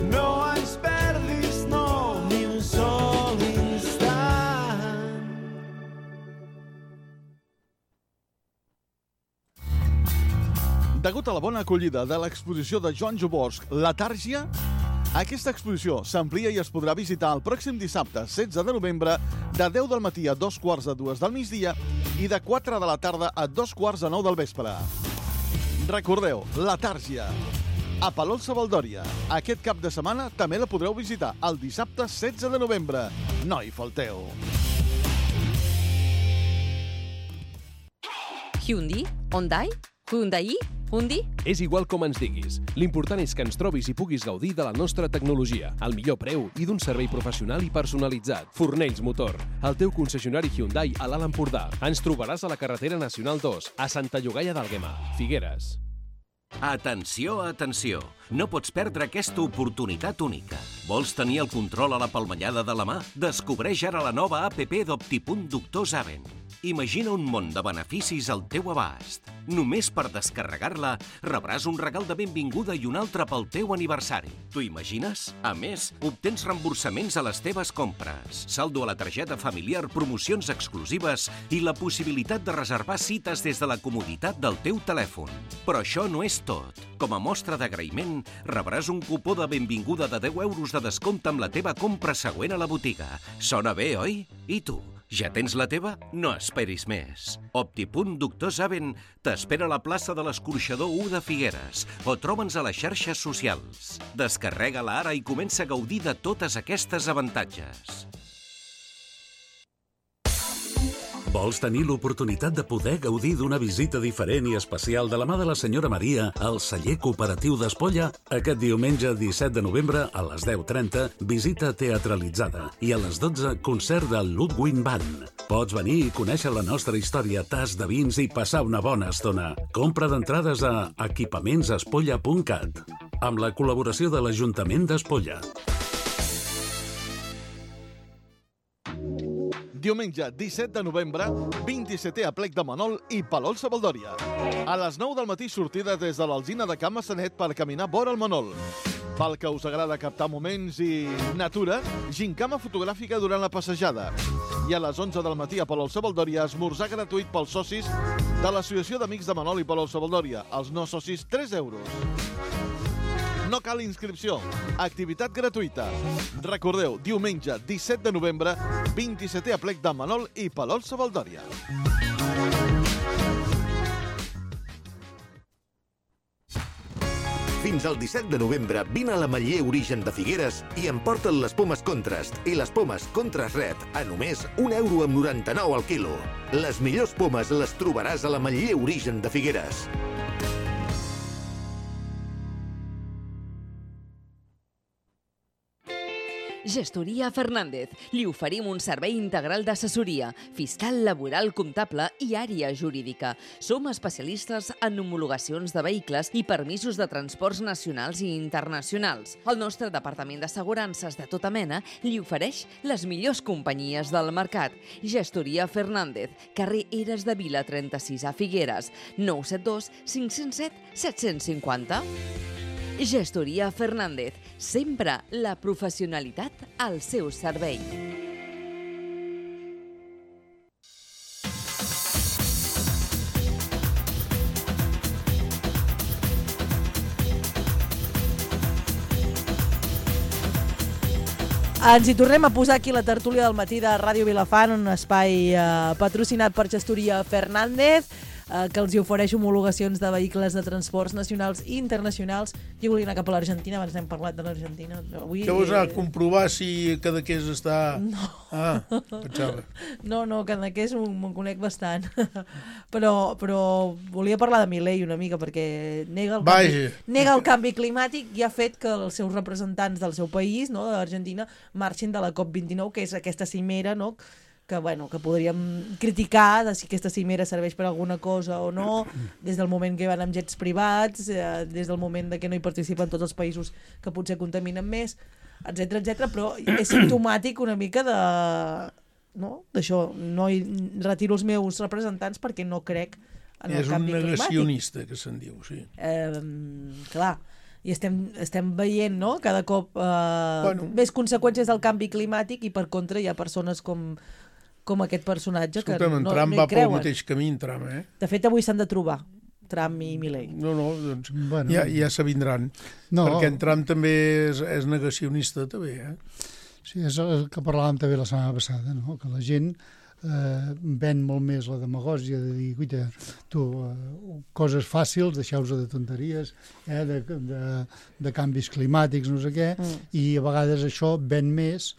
No ens perdis, no, ni un sol instant. Degut a la bona acollida de l'exposició de Joan Jobosch, La Tàrgia, aquesta exposició s'amplia i es podrà visitar el pròxim dissabte, 16 de novembre, de 10 del matí a 2:45 del migdia i de 4 de la tarda a 8:45 del vespre. Recordeu, La Tàrgia, a Palol-Savaldòria. Aquest cap de setmana també la podreu visitar el dissabte 16 de novembre. No hi falteu. Hyundai? Hyundai? Hyundai? Hyundai? És igual com ens diguis. L'important és que ens trobis i puguis gaudir de la nostra tecnologia, al millor preu i d'un servei professional i personalitzat. Fornells Motor, el teu concessionari Hyundai a l'Alt Empordà. Ens trobaràs a la carretera Nacional 2, a Santa Llogaia d'Àlguema, Figueres. Atenció, atenció! No pots perdre aquesta oportunitat única. Vols tenir el control a la palmellada de la mà? Descobreix ara la nova APP d'Optipunt Doctor Saben. Imagina un món de beneficis al teu abast. Només per descarregar-la rebràs un regal de benvinguda i un altre pel teu aniversari. T'ho imagines? A més, obtens reemborsaments a les teves compres, saldo a la targeta familiar, promocions exclusives i la possibilitat de reservar cites des de la comoditat del teu telèfon. Però això no és tot. Com a mostra d'agraïment, rebràs un cupó de benvinguda de 10 euros de descompte amb la teva compra següent a la botiga. Sona bé, oi? I tu? Ja tens la teva? No esperis més. Optipunt Doctor Saben t'espera a la plaça de l'Escorxador 1 de Figueres o troba'ns a les xarxes socials. Descarrega-la ara i comença a gaudir de totes aquestes avantatges. Vols tenir l'oportunitat de poder gaudir d'una visita diferent i especial de la mà de la senyora Maria al celler cooperatiu d'Espolla? Aquest diumenge 17 de novembre a les 10:30, visita teatralitzada i a les 12, concert del Ludwig Band. Pots venir i conèixer la nostra història, tas de vins i passar una bona estona. Compra d'entrades a equipamentsespolla.cat amb la col·laboració de l'Ajuntament d'Espolla. Diumenge 17 de novembre, 27è aplec de Manol i Palol-Savaldòria. A les 9 del matí sortida des de l'Alzina de Can Massanet per caminar vora el Manol. Pel que us agrada captar moments i natura, gincama fotogràfica durant la passejada. I a les 11 del matí a Palol-Savaldòria, esmorzar gratuït pels socis de l'Associació d'Amics de Manol i Palol-Savaldòria. Els no socis, 3 euros. No cal inscripció. Activitat gratuïta. Recordeu, diumenge 17 de novembre, 27è aplec de Manol i Palol-Savaldòria. Fins al 17 de novembre vine a l'Ametller Origen de Figueres i emporta't les pomes Contrast i les pomes Contrast Red a només €1,99 al quilo. Les millors pomes les trobaràs a l'Ametller Origen de Figueres. Gestoria Fernández. Li oferim un servei integral d'assessoria, fiscal, laboral, comptable i àrea jurídica. Som especialistes en homologacions de vehicles i permisos de transports nacionals i internacionals. El nostre departament d'assegurances de tota mena li ofereix les millors companyies del mercat. Gestoria Fernández, carrer Eres de Vila 36 a Figueres, 972 507 750. Gestoria Fernández, sempre la professionalitat al seu servei. Ens hi tornem a posar aquí la tertúlia del matí de Ràdio Vilafant, un espai patrocinat per Gestoria Fernández, que els hi ofereix homologacions de vehicles de transports nacionals i internacionals. Jo volia anar cap a l'Argentina, abans n'hem parlat de l'Argentina. Què vols anar a comprovar si Cadaqués està... No. Ah, pensava. No, Cadaqués me'n conec bastant. Però volia parlar de Milei una mica, perquè nega el canvi climàtic i ha fet que els seus representants del seu país, no, de l'Argentina, marxin de la COP29, que és aquesta cimera, no?, que podríem criticar de si aquesta cimera serveix per alguna cosa o no, des del moment que van amb jets privats, des del moment que no hi participen tots els països que potser contaminen més, etc, però és simptomàtic una mica d'això, no retiro els meus representants perquè no crec en el canvi climàtic. És un negacionista, que se'n diu, sí. Clar, i estem veient, no?, cada cop més conseqüències del canvi climàtic, i per contra hi ha persones com aquest personatge que no hi creuen. Trump va pel mateix camí, Trump, eh? De fet, avui s'han de trobar, Trump i Milei. No, doncs ja s'avindran. Perquè en Trump també és negacionista, també, eh? Sí, és el que parlàvem també la setmana passada, no?, que la gent ven molt més la demagògia de dir, guaita, tu, coses fàcils, deixeu-vos de tonteries, de canvis climàtics, no sé què, i a vegades això ven més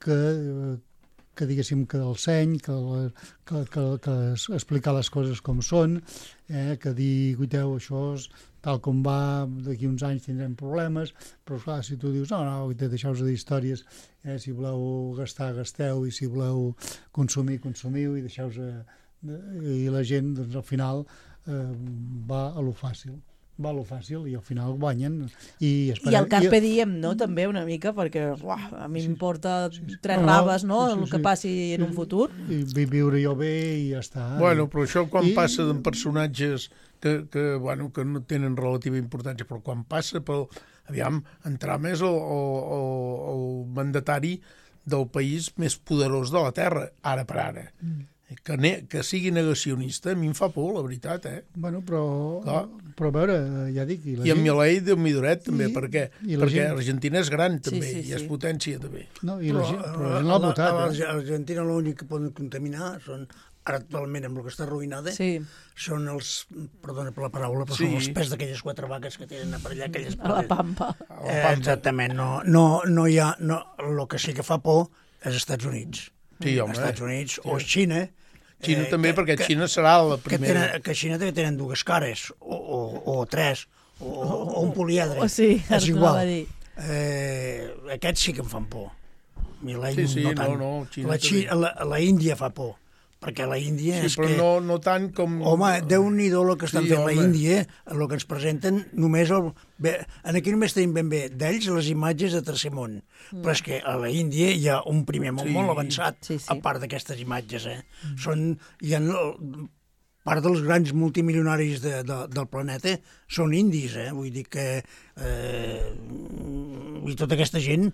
que diguéssim que del seny, que explicar les coses com són, que dir, guaiteu, això és tal com va, d'aquí uns anys tindrem problemes, però clar, si tu dius, no, deixeu-vos de dir històries, si voleu gastar, gasteu, i si voleu consumir, consumiu, i deixeu-vos... I la gent, doncs, al final, va a lo fàcil. I al final guanyen. I el carpe diem, no?, també una mica, perquè a mi m'importa tres raves, no?, el que passi en un futur. I viure jo bé i ja està. Bueno, però això quan passa en personatges que no tenen relativa importància, però quan passa pel... Aviam, en Trump és el mandatari del país més poderós de la Terra, ara per ara. Que sigui negacionista, a mi em fa por, la veritat, eh? Bueno, però a veure, ja dic... I en Milei, Déu-m'hi duret, també, perquè Argentina és gran, també, i és potència, també. No, i la gent l'ha votat. A Argentina l'únic que poden contaminar són, ara actualment amb el que està arruïnada, són els, perdona per la paraula, però són els pes d'aquelles 4 vaques que tenen per allà, aquelles... A la Pampa. Exactament, no hi ha... El que sí que fa por és als Estats Units. Sí, home. Estats Units o Xina. Xina també, perquè Xina serà la primera. Que Xina també tenen 2 cares, o 3, o un poliedre. Sí, és igual. Aquests sí que em fan por. Milei no tant. La Índia fa por, perquè la Índia és que... Sí, però no tant com... Home, Déu-n'hi-do el que estan fent la Índia, el que ens presenten només... Aquí només tenim ben bé d'ells les imatges de tercer món, però és que a la Índia hi ha un primer món molt avançat, a part d'aquestes imatges, hi ha part dels grans multimilionaris del planeta són indis, vull dir que tota aquesta gent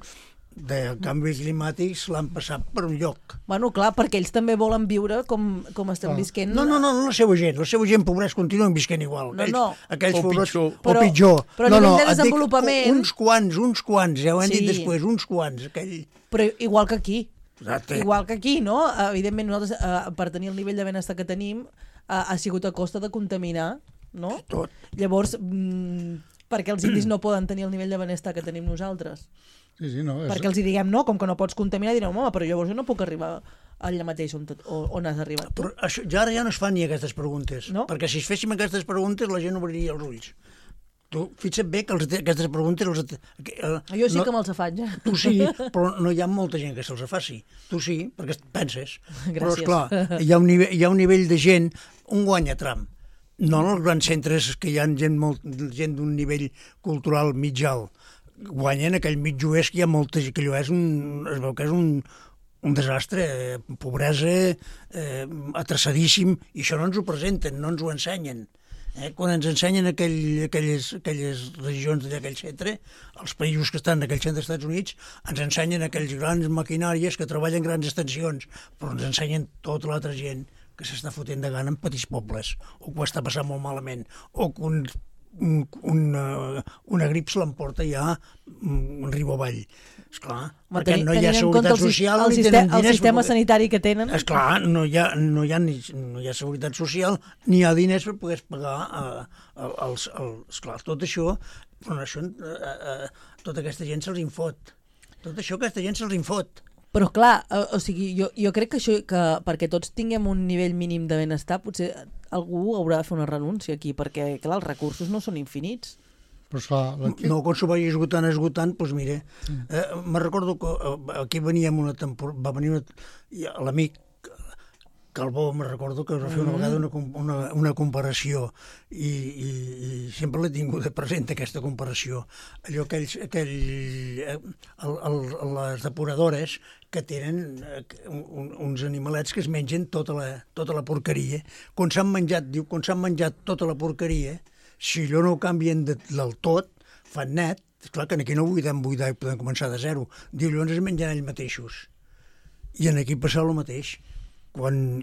de canvis climàtics l'han passat per un lloc. Bueno, clar, perquè ells també volen viure com estem visquent. No, la seva gent, pobrets, continuen visquent igual. Aquells pobrets, o pitjor. Però a nivell de desenvolupament... Uns quants, ja ho hem dit després, uns quants. Però igual que aquí. Igual que aquí, no? Evidentment, nosaltres, per tenir el nivell de benestar que tenim, ha sigut a costa de contaminar, no? Tot. Llavors, per què els indis no poden tenir el nivell de benestar que tenim nosaltres? Perquè els hi diguem no, com que no pots contaminar, direu, home, però llavors jo no puc arribar allà mateix on has arribat. Però ja no es fan ni aquestes preguntes, perquè si es féssim aquestes preguntes la gent obriria els ulls. Tu fixa't bé que aquestes preguntes... Jo sí que me'ls faig. Tu sí, però no hi ha molta gent que se'ls faci. Tu sí, perquè penses. Gràcies. Però, esclar, hi ha un nivell de gent, un guanya Trump. No en els grans centres que hi ha gent d'un nivell cultural mig alt. Guanyen aquell mig oest que hi ha molta gent, que allò es veu que és un desastre, pobresa, atrasadíssim, i això no ens ho presenten, no ens ho ensenyen. Quan ens ensenyen aquelles regions d'aquell centre, els països que estan en aquell centre dels Estats Units, ens ensenyen aquells grans maquinàries que treballen grans extensions, però ens ensenyen tota l'altra gent que s'està fotent de gana en petits pobles, o que ho està passant molt malament, o que una grip se l'emporta ja riu avall. Esclar, perquè no hi ha seguretat social ni tenen diners. El sistema sanitari que tenen. Esclar, no hi ha seguretat social ni hi ha diners per poder pagar esclar, tot això, però tota aquesta gent se'ls infot. Tot això aquesta gent se'ls infot. Però clar, o sigui, jo crec que això, que perquè tots tinguem un nivell mínim de benestar, potser algú haurà de fer una renúncia aquí, perquè clar, els recursos no són infinits. Però esclar, no, quan s'ho vagi esgotant, doncs mira, me'n recordo que aquí veníem una temporada, va venir l'amic Calbó, me'n recordo que es va fer una vegada una comparació i sempre l'he tingut present aquesta comparació. Allò les depuradores que tenen uns animalets que es mengen tota la porqueria. Quan s'han menjat tota la porqueria, si allò no ho canvien del tot, fan net, clar que aquí no podem buidar i podem començar de zero. Diu, llavors es mengen ells mateixos. I aquí passa el mateix. Com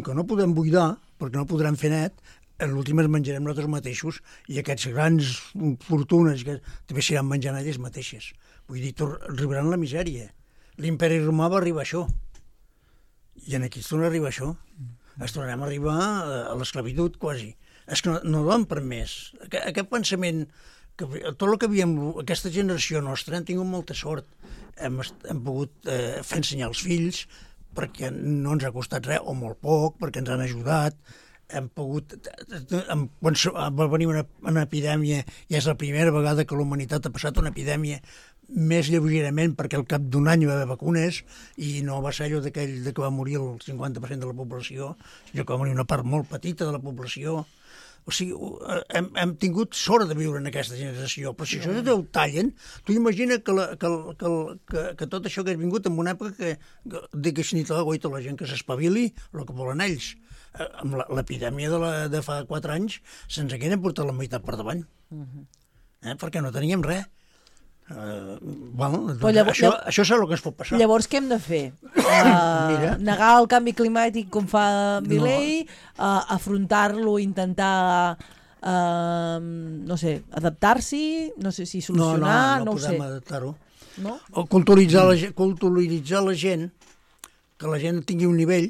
que no podem buidar, perquè no podrem fer net, en l'últim es menjarem nosaltres mateixos i aquests grans fortunes que també s'aniran menjant elles mateixes. Vull dir, arribaran la misèria. L'imperi romà va arribar a això. I aquí es torna a arribar a això. Es tornarem a arribar a l'esclavitud, quasi. És que no ho han permès. Aquest pensament, tot el que havíem, aquesta generació nostra, hem tingut molta sort. Hem pogut fer ensenyar els fills, perquè no ens ha costat res, o molt poc, perquè ens han ajudat. Hem pogut... Quan va venir una epidèmia, i és la primera vegada que la humanitat ha passat una epidèmia més lleugerament, perquè al cap d'un any hi va haver vacunes, i no va ser allò d'aquell que va morir el 50% de la població, sinó que va morir una part molt petita de la població. O sigui, hem tingut sort de viure en aquesta generació, però si això ho tallen, tu imagina que tot això que has vingut en una època que ni tota la gent que s'espavili el que volen ells. Amb l'epidèmia de fa 4 anys se'ns hagueren portat la meitat per davant, perquè no teníem res. Això és el que ens pot passar. Llavors què hem de fer? Negar el canvi climàtic com fa Milei, afrontar-lo, intentar no sé, adaptar-s'hi, no sé si solucionar, no podem adaptar-ho. No? Culturitzar la gent, que la gent tingui un nivell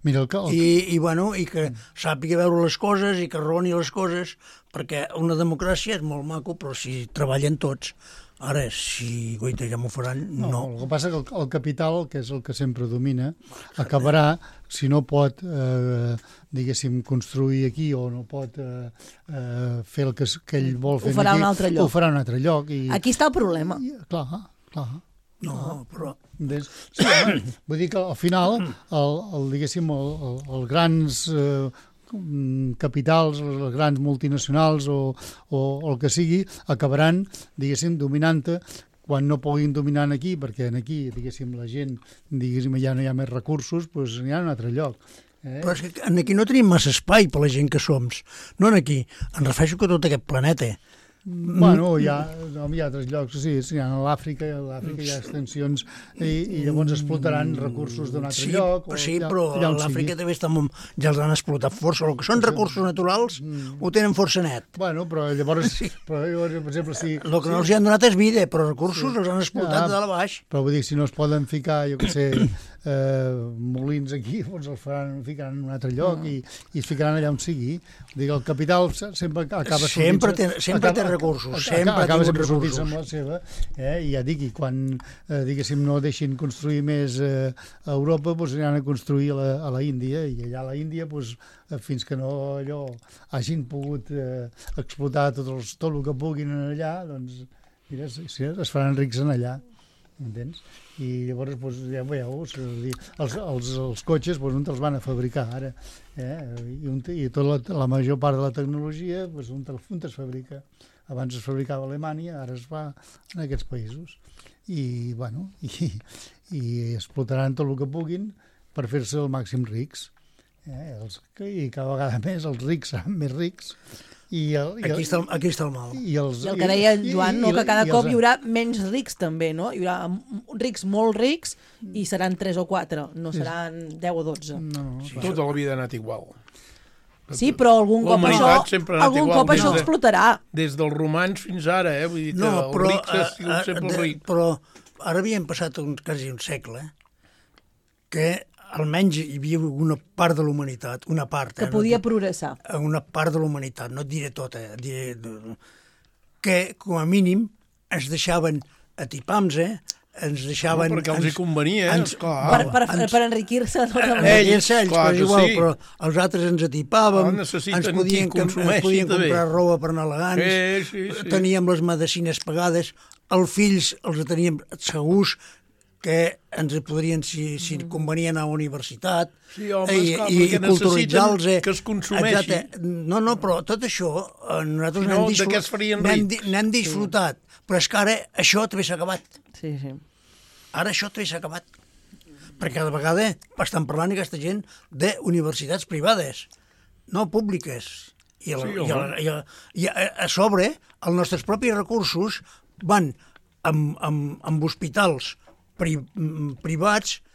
i que sàpiga veure les coses i que raoni les coses, perquè una democràcia és molt maco, però si treballen tots. Ara, si goita ja m'ho faran, no. El que passa que el capital, que és el que sempre domina, acabarà, si no pot, diguéssim, construir aquí o no pot fer el que ell vol fer aquí, ho farà un altre lloc. Aquí està el problema. Clar. No, però... Sí, vull dir que al final, diguéssim, els grans... capitals, les grans multinacionals o el que sigui, acabaran, diguéssim, dominant-te quan no puguin dominar aquí, perquè aquí, diguéssim, la gent, diguéssim, ja no hi ha més recursos, doncs n'hi ha un altre lloc. Però és que aquí no tenim massa espai per la gent que som. No aquí, em refereixo que tot aquest planeta. Bueno, hi ha altres llocs, sí, a l'Àfrica hi ha extensions i llavors explotaran recursos d'un altre lloc. Sí, però l'Àfrica també ja els han explotat força. El que són recursos naturals ho tenen força net. Bueno, però llavors, per exemple, si... El que no els han donat és vida, però recursos els han explotat de dalt a baix. Però vull dir, si no es poden ficar, jo què sé, molins aquí, doncs els ficaran en un altre lloc i es ficaran allà on sigui. El capital sempre acaba sortint... Sempre té recursos, acaba sempre sortint amb la seva, i ja dic, i quan, diguéssim, no deixin construir més a Europa, doncs aniran a construir a la Índia, i allà a la Índia, doncs, fins que no allò hagin pogut explotar tot el que puguin allà, doncs, mira, es faran rics en allà. Entens? I llavors, doncs, ja veieu, els cotxes, doncs, on els van a fabricar ara? I tota la major part de la tecnologia, doncs, on es fabrica? Abans es fabricava a Alemanya, ara es fa en aquests països. I, bueno, i explotaran tot el que puguin per fer-se el màxim rics. I cada vegada més els rics seran més rics. Aquí està el mal. I el que deia en Joan, que cada cop hi haurà menys rics també, no? Hi haurà rics molt rics i seran 3 o 4, no seran 10 o 12. Tota la vida ha anat igual. Sí, però algun cop això explotarà. Des dels romans fins ara, vull dir que els rics han sigut sempre rics. Però ara havíem passat quasi un segle que almenys hi havia una part de la humanitat, una part... Que podia progressar. Una part de la humanitat, no et diré tota, que com a mínim ens deixaven atipams, ens deixaven... No, perquè els hi convenia, esclar. Per enriquir-se. Ells, però és igual, però els altres ens atipàvem, ens podien comprar roba per anar elegants, teníem les medicines pagades, els fills els teníem segurs, que ens podrien, si convenien a la universitat, i culturalitzar-los. Que es consumeixi. No, però tot això nosaltres n'hem disfrutat, però és que ara això també s'ha acabat. Sí. Ara això també s'ha acabat. Perquè cada vegada estan parlant aquesta gent d'universitats privades, no públiques. I a sobre, els nostres propis recursos van amb hospitals privats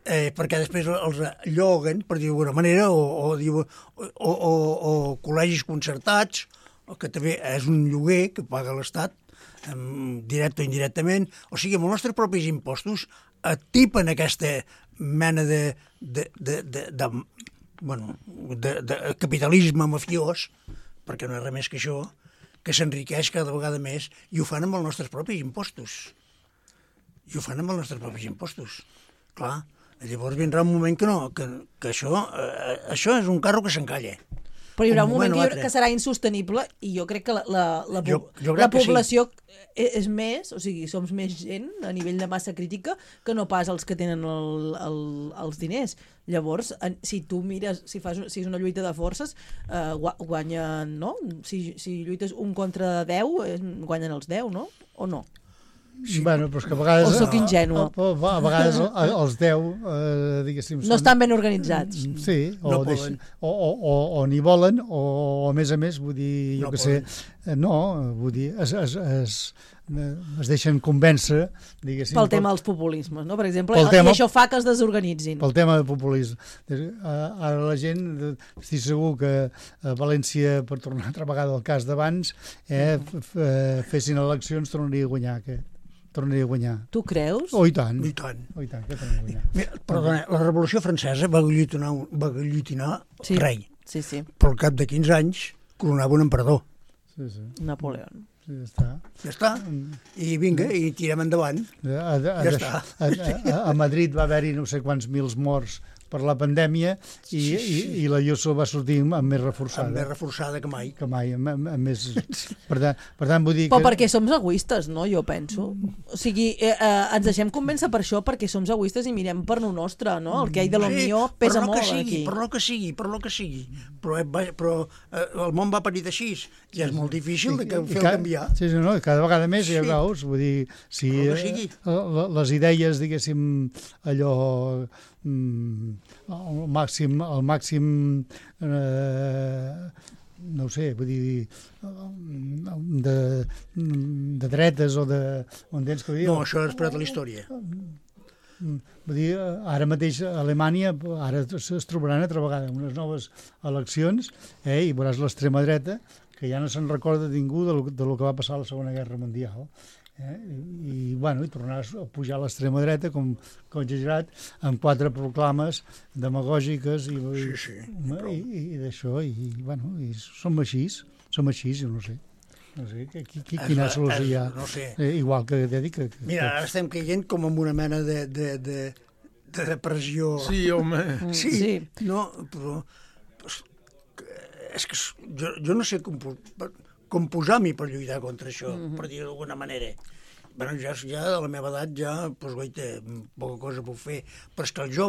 perquè després els lloguen, per dir d'alguna manera, o col·legis concertats, que també és un lloguer que paga l'Estat, directe o indirectament. O sigui, amb els nostres propis impostos atipen aquesta mena de capitalisme mafiós, perquè no és res més que això, que s'enriqueix cada vegada més, i ho fan amb els nostres propis impostos. Clar, llavors vindrà un moment que això és un carro que s'encalla. Però hi haurà un moment que serà insostenible i jo crec que la població és més, o sigui, som més gent a nivell de massa crítica que no pas els que tenen els diners. Llavors, si tu mires, si és una lluita de forces, guanyen, no? Si lluites 1 contra 10, guanyen els 10, no? O no? Sí. Bueno, però és que a vegades... O soc ingènua. A vegades els 10, diguéssim... No estan ben organitzats. Sí, o ni volen, o a més, vull dir, jo que sé... No, vull dir, es deixen convèncer, diguéssim... Pel tema dels populismes, no? Per exemple, i això fa que es desorganitzin. Pel tema del populisme. Ara la gent, estic segur que a València, per tornar altra vegada al cas d'abans, fessin eleccions, tornaria a guanyar. Tu creus? Oh, i tant. I tant. Que tornaria a guanyar. Perdona, la Revolució Francesa va guillotinar rei. Sí. Però al cap de 15 anys coronava un emperador. Sí. Napoleón. Sí, ja està. I vinga, i tirem endavant. Ja està. A Madrid va haver-hi no sé quants mils morts per la pandèmia i la Ayuso va sortir amb més reforçada. Més reforçada que mai. Més... Per tant, vull dir que... Però perquè som egoistes, no? Jo penso. O sigui, ens deixem convèncer per això, perquè som egoistes i mirem per lo nostre, no? El que hi ha de lo millor pesa molt aquí. Per lo que sigui. Però el món va parir d'així i és molt difícil de fer canviar. Sí, no, cada vegada més hi ha veus. Vull dir, si les idees, diguéssim, allò... el màxim no ho sé, vull dir de dretes o de... No, això és per a la història. Vull dir, ara mateix a Alemanya ara es trobaran altra vegada unes noves eleccions i veuràs l'extrema dreta que ja no se'n recorda ningú del que va passar a la Segona Guerra Mundial I tornar a pujar a l'extrema dreta, com exagerat, amb 4 proclames demagògiques i d'això, i som així, jo no sé. No sé, quina solució hi ha. No sé. Igual que ja dic... Mira, ara estem caient com en una mena de depressió. Sí, home. Sí. No, però... És que jo no sé com posar-m'hi per lluitar contra això, per dir d'alguna manera. Bueno, ja a la meva edat ja, doncs, poca cosa puc fer, però és que el jove